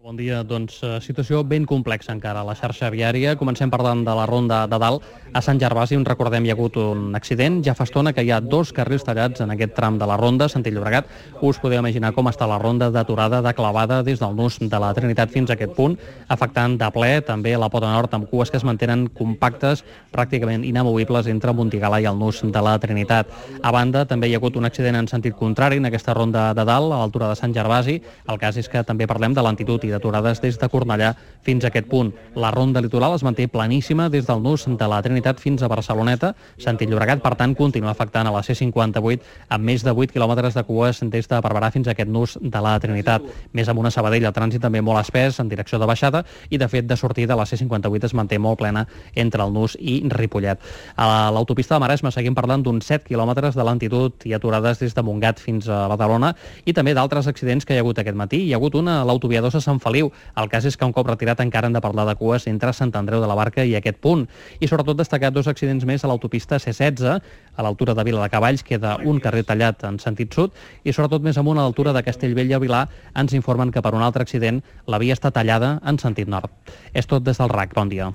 Bon dia. Doncs situació ben complexa encara a la xarxa viària. Comencem parlant de la ronda de dalt. A Sant Gervasi, on recordem hi ha hagut un accident. Ja fa estona que hi ha 2 carrils tallats en aquest tram de la ronda, sentit Llobregat. Us podeu imaginar com està la ronda d'aturada, de clavada des del nus de la Trinitat fins a aquest punt, afectant de ple també la pota nord amb cues que es mantenen compactes, pràcticament inamovibles entre Montigala i el nus de la Trinitat. A banda, també hi ha hagut un accident en sentit contrari en aquesta ronda de dalt, a l'altura de Sant Gervasi. El cas és que també parlem de lentitud i d'aturades des de Cornellà fins a aquest punt. La ronda litoral es manté planíssima des del nus de la Trinitat fins a Barceloneta. Sentit Llobregat, per tant, continua afectant a la C58 amb més de 8 quilòmetres de cues des de Barberà fins a aquest nus de la Trinitat. Més amunt a Sabadell, el trànsit també molt espès en direcció de baixada i, de fet, de sortida la C58 es manté molt plena entre el nus i Ripollet. A l'autopista de Maresme seguim parlant d'uns 7 quilòmetres de lentitud i aturades des de Montgat fins a Badalona i també d'altres accidents que hi ha hagut aquest matí. Hi ha hagut una a l'autovia 2 a Sant Feliu. El cas és que un cop retirat encara hem de parlar de cues entre Sant Andreu de la Barca i aquest punt. I sobretot destacar 2 accidents més a l'autopista C16, a l'altura de Viladecavalls queda un carrer tallat en sentit sud i sobretot més amunt a l'altura de Castellbell i el Vilar ens informen que per un altre accident la via està tallada en sentit nord. És tot des del RAC. Bon dia.